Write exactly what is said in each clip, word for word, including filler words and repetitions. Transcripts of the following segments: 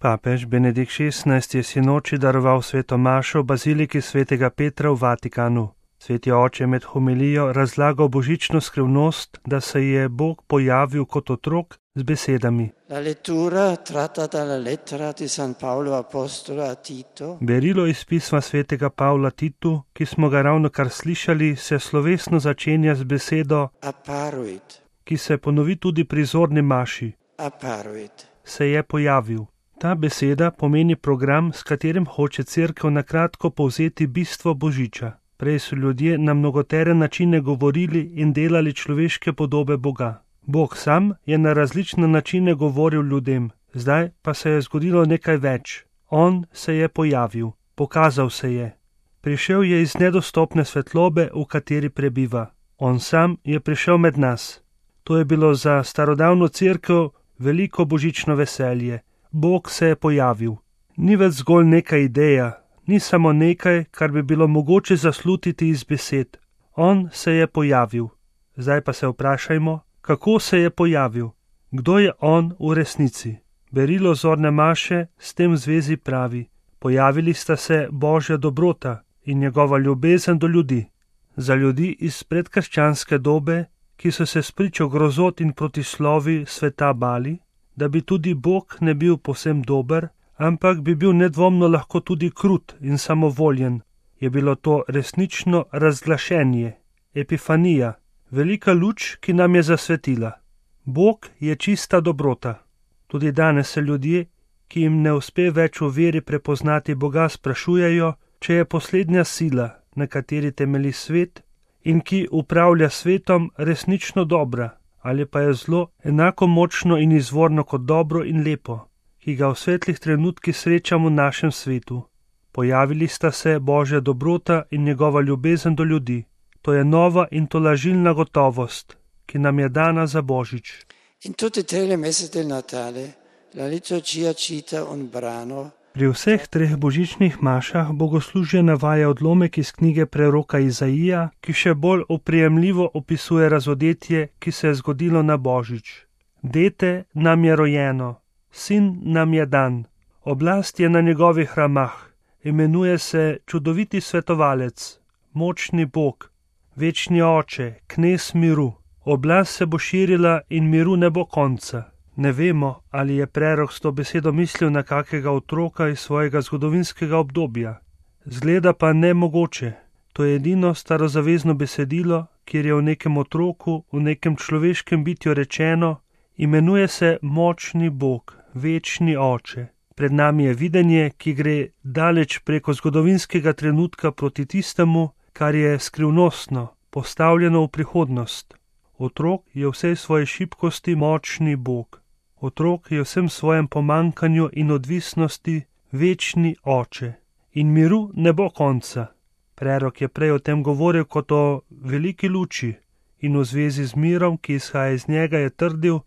Papež Benedikt šestnajsti je sinoči daroval sveto mašo v baziliki svetega Petra v Vatikanu. Sveti oče je med homilijo razlagal božično skrivnost, da se je Bog pojavil kot otrok z besedami. La lettura tratta dalla lettera di San Paolo apostolo a Tito. Berilo iz pisma svetega Pavla Titu, ki smo ga ravno kar slišali, se slovesno začenja z besedo Apparuit. ki se ponovi tudi pri zorni maši. Apparuit. Se je pojavil. Ta beseda pomeni program, s katerim hoče Cerkev na kratko povzeti bistvo Božiča. Prej so ljudje na mnogotere načine govorili in delali človeške podobe Boga. Bog sam je na različne načine govoril ljudem, zdaj pa se je zgodilo nekaj več. On se je pojavil, pokazal se je. Prišel je iz nedostopne svetlobe, v kateri prebiva. On sam je prišel med nas. To je bilo za starodavno Cerkev veliko božično veselje. Bog se je pojavil. Ni več zgolj neka ideja, ni samo nekaj, kar bi bilo mogoče zaslutiti iz besed. On se je pojavil. Zdaj pa se vprašajmo, kako se je pojavil? Kdo je on v resnici? Berilo zorne maše s tem v zvezi pravi: pojavili sta se Božja dobrota in njegova ljubezen do ljudi. Za ljudi iz predkrščanske dobe, ki so se spričo grozot in protislovi sveta bali, da bi tudi Bog ne bil povsem dober, ampak bi bil nedvomno lahko tudi krut in samovoljen, je bilo to resnično razglašenje, epifanija, velika luč, ki nam je zasvetila. Bog je čista dobrota. Tudi danes se ljudje, ki jim ne uspe več v veri prepoznati Boga, sprašujejo, če je poslednja sila, na kateri temelji svet in ki upravlja svetom, resnično dobra, ali pa je zlo enako močno in izvorno kot dobro in lepo, ki ga v svetlih trenutkih srečamo v našem svetu. Pojavili sta se Božja dobrota in njegova ljubezen do ljudi. To je nova in tolažilna gotovost, ki nam je dana za Božič. In tutte tre le messe del Natale, la liturgia cita un brano. Pri vseh treh božičnih mašah bogoslužje navaja odlomek iz knjige preroka Izaija, ki še bolj oprijemljivo opisuje razodetje, ki se je zgodilo na Božič. Dete nam je rojeno, sin nam je dan, oblast je na njegovih ramah, imenuje se čudoviti svetovalec, močni Bog, večni oče, knez miru. Oblast se bo širila in miru ne bo konca. Ne vemo, ali je prerok s to besedo mislil na kakega otroka iz svojega zgodovinskega obdobja. Zgleda pa nemogoče. To je edino starozavezno besedilo, kjer je v nekem otroku, v nekem človeškem bitju rečeno: imenuje se močni Bog, večni oče. Pred nami je videnje, ki gre daleč preko zgodovinskega trenutka proti tistemu, kar je skrivnostno, postavljeno v prihodnost. Otrok je v vsej svoji šibkosti močni Bog. Otrok je v vsem svojem pomankanju in odvisnosti večni oče. In miru ne bo konca. Prerok je prej o tem govoril kot o veliki luči in v zvezi z mirom, ki izhaja iz njega, je trdil,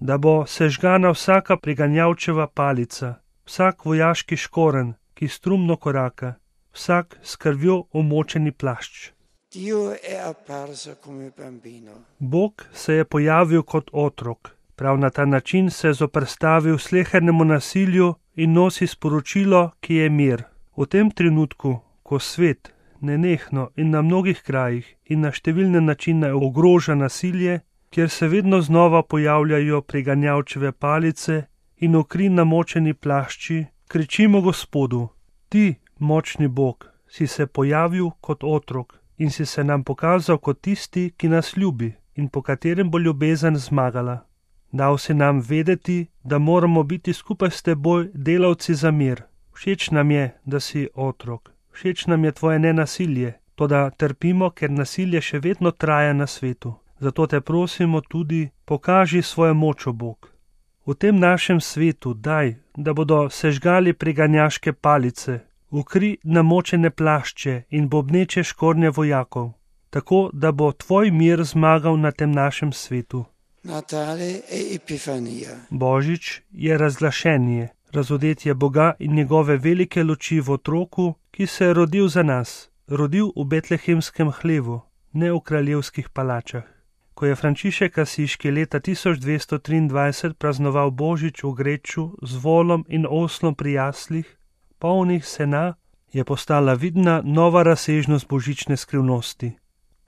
da bo sežgana vsaka priganjavčeva palica, vsak vojaški škoren, ki strumno koraka, vsak s krvjo omočeni plašč. Dio è apparso come bambino. Bog se je pojavil kot otrok. Prav na ta način se je zoperstavil slehernemu nasilju in nosi sporočilo, ki je mir. V tem trenutku, ko svet nenehno in na mnogih krajih in na številne načine ogroža nasilje, kjer se vedno znova pojavljajo priganjavčeve palice in v kri namočeni plašči, kričimo Gospodu: Ti, močni Bog, si se pojavil kot otrok in si se nam pokazal kot tisti, ki nas ljubi in po katerem bo ljubezen zmagala. Dal si nam vedeti, da moramo biti skupaj s teboj delavci za mir. Všeč nam je, da si otrok. Všeč nam je tvoje nenasilje, toda trpimo, ker nasilje še vedno traja na svetu. Zato te prosimo tudi, pokaži svojo moč, o Bog. V tem našem svetu daj, da bodo sežgali priganjaške palice, v kri namočene plašče in bobneče škornje vojakov, tako da bo tvoj mir zmagal na tem našem svetu. Natale è Epifanija. Božič je razglašenje, razodetje Boga in njegove velike luči v otroku, ki se je rodil za nas, rodil v betlehemskem hlevu, ne v kraljevskih palačah. Ko je Frančišek Asiški leta tisoč dvesto triindvajset praznoval Božič v Greču z volom in oslom pri jaslih, polnih sena, je postala vidna nova razsežnost božične skrivnosti.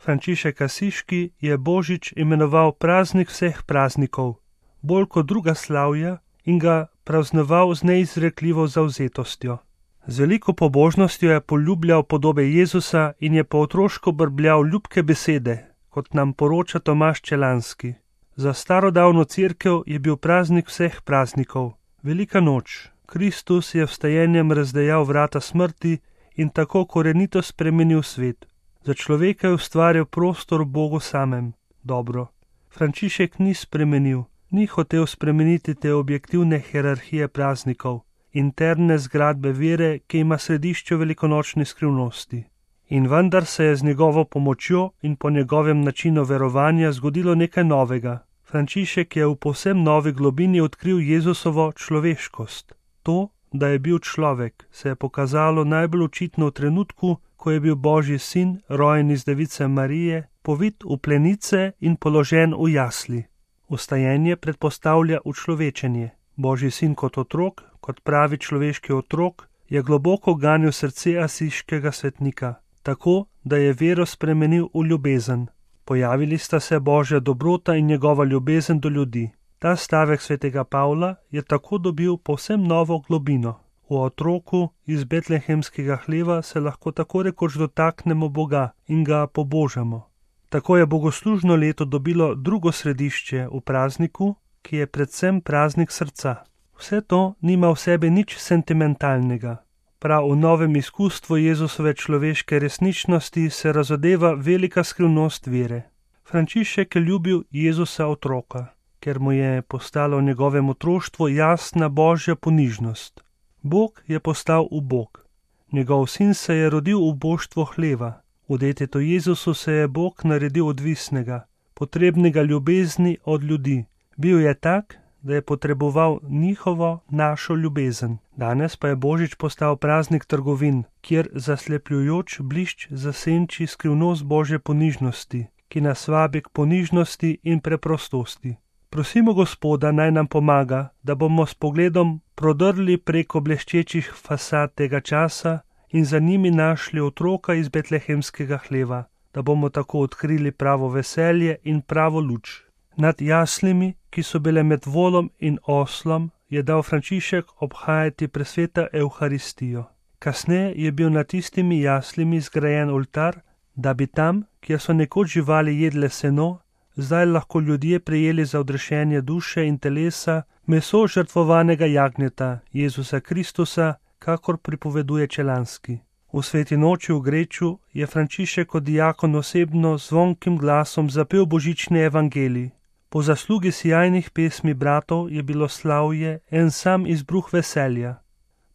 Frančišek Asiški je Božič imenoval praznik vseh praznikov, bolj kot druga slavja, in ga praznoval z neizrekljivo zavzetostjo. Z veliko pobožnostjo je poljubljal podobe Jezusa in je po otroško brbljal ljubke besede, kot nam poroča Tomaž Čelanski. Za starodavno cerkev je bil praznik vseh praznikov, velika noč. Kristus je vstajenjem razdejal vrata smrti in tako korenito spremenil svet. Za človeka je ustvaril prostor v Bogu samem. Dobro. Frančišek ni spremenil, ni hotel spremeniti te objektivne hierarhije praznikov, interne zgradbe vere, ki ima središče velikonočne skrivnosti. In vendar se je z njegovo pomočjo in po njegovem načinu verovanja zgodilo nekaj novega. Frančišek je v povsem novi globini odkril Jezusovo človeškost. To, da je bil človek, se je pokazalo najbolj očitno v trenutku, ko je bil Božji sin, rojen iz device Marije, povit v plenice in položen v jasli. Vstajenje predpostavlja učlovečenje. Božji sin kot otrok, kot pravi človeški otrok, je globoko ganil srce asiškega svetnika, tako, da je vero spremenil v ljubezen. Pojavili sta se Božja dobrota in njegova ljubezen do ljudi. Ta stavek svetega Pavla je tako dobil povsem novo globino. V otroku iz betlehemskega hleva se lahko tako rekoč dotaknemo Boga in ga pobožamo. Tako je bogoslužno leto dobilo drugo središče v prazniku, ki je predvsem praznik srca. Vse to nima v sebi nič sentimentalnega. Prav v novem izkustvu Jezusove človeške resničnosti se razodeva velika skrivnost vere. Frančišek je ljubil Jezusa otroka, ker mu je postala v njegovem otroštvu jasna Božja ponižnost. Bog je postal ubog. Njegov sin se je rodil v boštvo hleva. V detetu Jezusu se je Bog naredil odvisnega, potrebnega ljubezni od ljudi. Bil je tak, da je potreboval njihovo, našo ljubezen. Danes pa je Božič postal praznik trgovin, kjer zaslepljujoč blišč zasenči skrivnost Božje ponižnosti, ki nas vabi k ponižnosti in preprostosti. Prosimo Gospoda, naj nam pomaga, da bomo s pogledom prodrli preko bleščečih fasad tega časa in za njimi našli otroka iz betlehemskega hleva, da bomo tako odkrili pravo veselje in pravo luč. Nad jaslimi, ki so bile med volom in oslom, je dal Frančišek obhajati presveta Evharistijo. Kasneje je bil nad tistimi jaslimi zgrajen oltar, da bi tam, kjer so nekoč živali jedle seno, zdaj lahko ljudje prejeli za odrešenje duše in telesa meso žrtvovanega jagnjeta Jezusa Kristusa, kakor pripoveduje Čelanski. V sveti noči v Greču je Frančišek kot diakon osebno zvonkim glasom zapel božični evangelij. Po zaslugi sijajnih pesmi bratov je bilo slavje en sam izbruh veselja.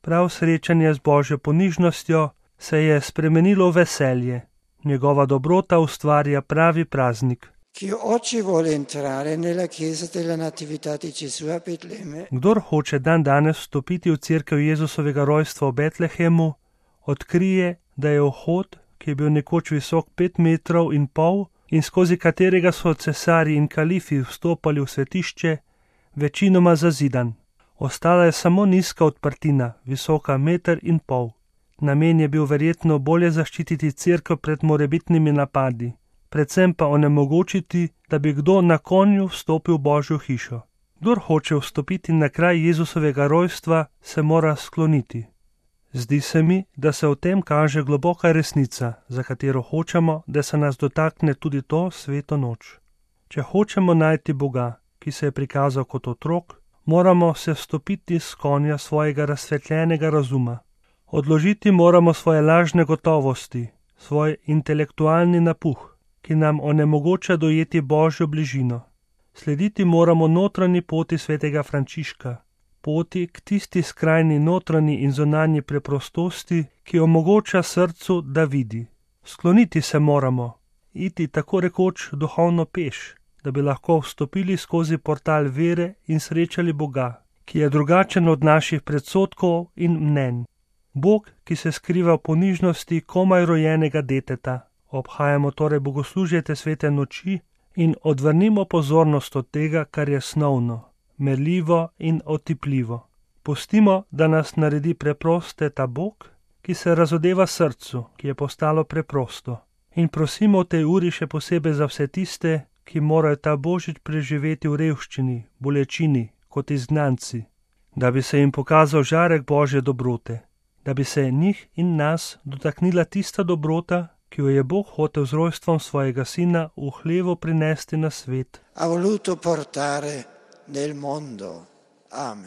Prav srečanje z Božjo ponižnostjo se je spremenilo v veselje. Njegova dobrota ustvarja pravi praznik. Kdor hoče dan danes vstopiti v cerkev Jezusovega rojstva v Betlehemu, odkrije, da je vhod, ki je bil nekoč visok pet metrov in pol in skozi katerega so cesarji in kalifi vstopali v svetišče, večinoma zazidan. Ostala je samo nizka odprtina, visoka meter in pol. Namen je bil verjetno bolje zaščititi cerkev pred morebitnimi napadi, predvsem pa onemogočiti, da bi kdo na konju vstopil v Božjo hišo. Kdor hoče vstopiti na kraj Jezusovega rojstva, se mora skloniti. Zdi se mi, da se v tem kaže globoka resnica, za katero hočemo, da se nas dotakne tudi to sveto noč. Če hočemo najti Boga, ki se je prikazal kot otrok, moramo se vstopiti s konja svojega razsvetljenega razuma. Odložiti moramo svoje lažne gotovosti, svoj intelektualni napuh, ki nam onemogoča dojeti Božjo bližino. Slediti moramo notranji poti svetega Frančiška, poti k tisti skrajni notranji in zunanji preprostosti, ki omogoča srcu, da vidi. Skloniti se moramo, iti tako rekoč duhovno peš, da bi lahko vstopili skozi portal vere in srečali Boga, ki je drugačen od naših predsodkov in mnenj. Bog, ki se skriva v ponižnosti komaj rojenega deteta. Obhajamo torej bogoslužje te svete noči, in odvrnimo pozornost od tega, kar je snovno, merljivo in otipljivo. Pustimo, da nas naredi preproste ta Bog, ki se razodeva srcu, ki je postalo preprosto. In prosimo v tej uri še posebej za vse tiste, ki morajo ta božič preživeti v revščini, bolečini, kot izgnanci, da bi se jim pokazal žarek Božje dobrote, da bi se njih in nas dotaknila tista dobrota, ki jo je Bog hotel z rojstvom svojega sina v hlevu prinesti na svet. Ha voluto portare nel mondo. Amen.